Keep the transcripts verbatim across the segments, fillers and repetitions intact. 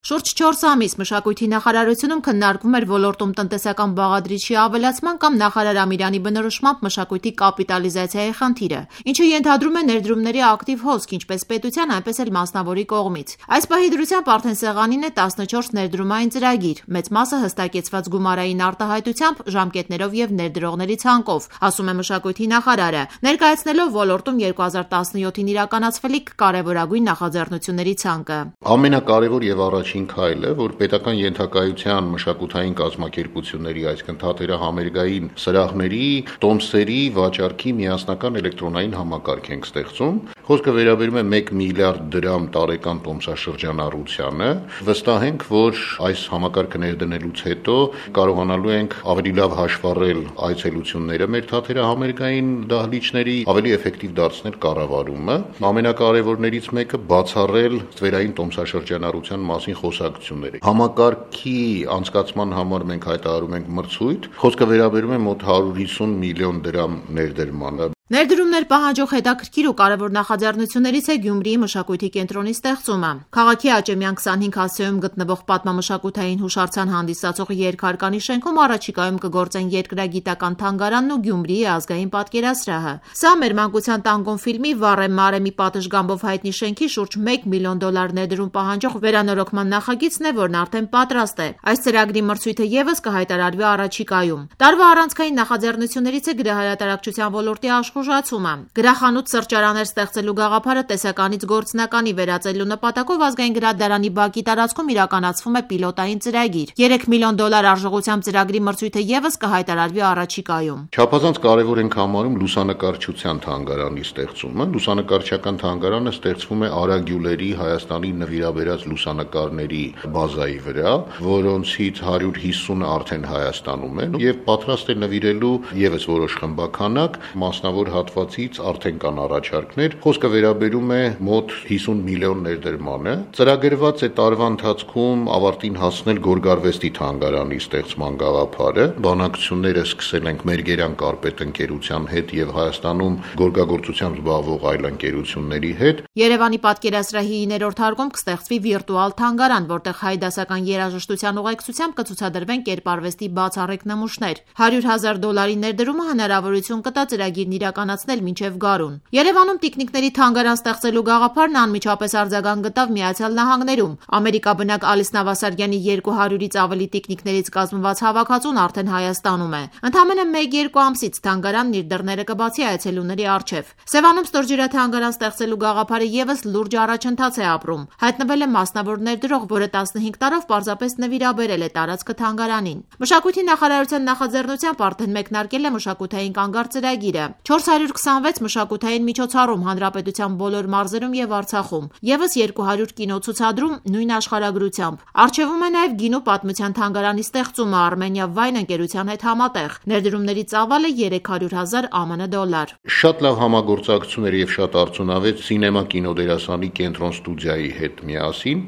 Շուրջ չորս ամիս մշակույթի նախարարությունում քննարկվում էր ոլորտում տնտեսական բաղադրիչի ավելացման կամ նախարար Ամիրյանի բնորոշմամբ մշակույթի կապիտալիզացիայի խնդիրը, ինչը ենթադրում է ներդրումների ակտիվ հոսք ինչպես պետության, այնպես էլ մասնավորի կողմից։ Այս պահի դրությամբ արդեն սեղանին է տասնչորս ներդրումային ծրագիր, մեծ մասը հստակեցված գումարային արտահայտությամբ, ժամկետներով եւ ներդրողների ցանկով, ասում է մշակույթի նախարարը, ներկայացնելով ոլորտում երկու հազար տասնյոթին իրականացվելիք կարևորագույն նախաձեռնությունների ցանկը։ Ամենակարևոր եւ առաջին քայլը, որ պետական ենթակայության մշակութային կազմակերպությունների, այսինքն թատերահամերգային սրահների տոմսերի վաճառքի միասնական էլեկտրոնային համակարգ ենք ստեղծում։ Խոսքը վերաբերում է մեկ միլիարդ դրամ տարեկան տոմսաշրջանառությանը։ Վստահ ենք, որ այս համակարգը ներդնելուց հետո կարողանալու ենք ավելի լավ հաշվառել այցելությունները մեր թատերահամերգային դահլիճների, ավելի էֆեկտիվ դարձնել կառավարումը։ Ամենակարևորներից մեկը բացառել ստվերային տոմսաշրջանառության մասին խոսակցությունները։ Համակարգի անցկացման համար մենք հայտարարում ենք մրցույթ։ Խոսքը վերաբերում է մոտ հարյուր հիսուն միլիոն դրամ ներդրմանը։ Ներդրումներ պահանջող հետաքրքիր ու կարևոր նախաձեռնություններից է Գյումրիի մշակույթի կենտրոնի ստեղծումը։ Քաղաքի Աճեմյան քսանհինգ հասցեում գտնվող պատմամշակութային հուշարձան հանդիսացող երկհարկանի շենքում առաջիկայում կգործեն երկրագիտական թանգարանն ու Գյումրիի ազգային պատկերասրահը։ Սա մեր մանկության տանգոն ֆիլմի «Վառեմ Մարեմի» պատշգամբով հայտնի շենքի շուրջ մեկ միլիոն դոլար ներդրում պահանջող վերանորոգման նախագիծն է, որն արդեն պատրաստ է։ Այս ծրագրի մրցույթը ևս կհայտարարվի առաջիկայում։ Տարվա առանցքային նախաձեռնություններից է գրահրատարակչության ոլորտի աշխուժացումը։ Գրախանութ սրճարաններ ստեղծելու գաղափարը տեսականից գործնականի վերածելու նպատակով ազգային գրադարանի բակի տարածքում իրականացվում է պիլոտային ծրագիր։ երեք միլիոն դոլար արժողությամբ ծրագրի մրցույթը ևս կհայտարարվի առաջիկայում։ Չափազանց կարևոր ենք համարում լուսանկարչության թանգարանի ստեղծումը։ Լուսանկարչական թանգարանը ստեղծվում է Արա Գյուլերի Հայաստանի նվիրաբերած լուսանկարների բազայի վրա, որոնցից հարյուր հիսունը արդեն Հայաստանում են եւ պատրաստ է նվիրելու ևս որոշ խմբականակ, մասնավոր հատվածից արդեն կան առաջարկներ։ Խոսքը վերաբերում է մոտ հիսուն միլիոն ներդրմանը։ Ծրագրված է տարվա ընթացքում ավարտին հասնել Գորգարվեստի թանգարանի ստեղծման գաղափարը։ Բանակցությունները սկսել ենք Մերգերյան կարպետ ընկերության հետ եւ Հայաստանում գորգագործությամբ զբաղվող այլ ընկերությունների հետ։ Երևանի պատկերասրահի իններորդ հարկում կստեղծվի վիրտուալ թանգարան, որտեղ հայ դասական երաժշտության ուղեկցությամբ կցուցադրվեն կերպարվեստի բացառիկ նմուշներ։ հարյուր հազար դոլարի ներդրումը հնարավորություն կտա ծրագիրն իրականացնել մինչև գարուն։ Երևանում տիկնիկների թանգարան ստեղծելու գաղափարն անմիջապես արձագանք գտավ Միացյալ Նահանգներում։ Ամերիկաբնակ Ալիս Նավասարյանի երկու հարյուրից ավելի տիկնիկներից կազմված հավաքածուն արդեն Հայաստանում է։ Ընդամենը մեկ-երկու ամսից թանգարանն իր դռները կբացի այցելուների առջև։ Սևանում ստորջրաթանգարան ստեղծելու գաղափարը ևս լուրջ առաջընթաց է ապրում։ Հայտնվել է մասնավոր ներդրող, որը տասնհինգ տարով պարզապես նվիրաբերել է տարածքը թանգարանին։ Մշակույթի նախարարության նախաձեռնությամբ արդեն մեկնարկել է մշակութային կանգառ ծրագիրը։ չորս հարյուր քսանվեց մշակութային միջոցառում հանրապետության բոլոր մարզերում եւ Արցախում, ևս երկու հարյուր կինոցուցադրում նույն աշխարհագրությամբ։ Արչեվում է նաեւ գինու պատմության թանգարանի ստեղծումը Armenia Wine ընկերության հետ համատեղ։ Ներդրումների ծավալը երեք հարյուր հազար ԱՄՆ դոլար։ Շատ լավ համագործակցություններ եւ շատ արդյունավետ սինեմա կինոդերասանի կենտրոն ստուդիայի հետ միասին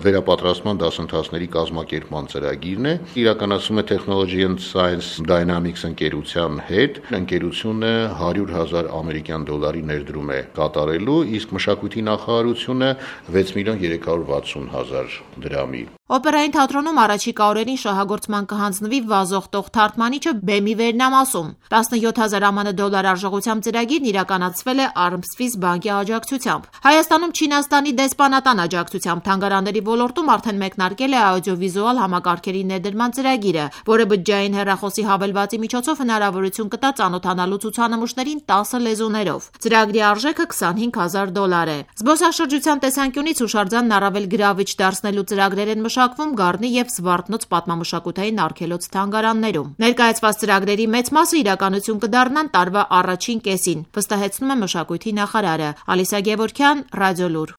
վերապատրաստման դասընթացների կազմակերպման ծրագիրն է։ Իրականացվում է Technology and Science Dynamics ընկերության հետ։ Ընկերությունը հարյուր հազար ամերիկյան դոլարի ներդրում է կատարելու, իսկ մշակույթի նախարարությունը վեց միլիոն երեք հարյուր վաթսուն հազար դրամի։ Օպերային թատրոնում առաջիկա օրերին շահագործման կհանձնվի վազող տող թարգմանիչը բեմի վերնամասում։ տասնյոթ հազար ԱՄՆ դոլար արժողությամբ ծրագիրն իրականացվել է Armswiss բանկի աջակցությամբ։ Հայաստանում Չինաստանի դեսպանատան աջակցությամբ թանգարանների ոլորտում արդեն մեկնարկել է աուդիովիզուալ համակարգերի ներդրման ծրագիրը, որը բջջային հեռախոսի հավելվածի միջոցով հնարավորություն կտա ծանոթանալու ցուցանմուշներին տասը լեզուներով։ Ծրագրի արժեքը քսանհինգ հազար դոլար է։ Զբոսաշրջության տեսանկյունից հուշարձանն առավել գրավիչ դարձնելու ծրագրեր են մշակվում Գառնի եւ Զվարթնոց պատմամշակութային արգելոց թանգարաններում։ Ներկայացված ծրագրերի մեծ մասը իրականություն կդառնան տարվա առաջին կեսին, վստահեցնում է մշակույթի նախարարը։ Ալիսա Գևորգյան, Ռադիոլուր։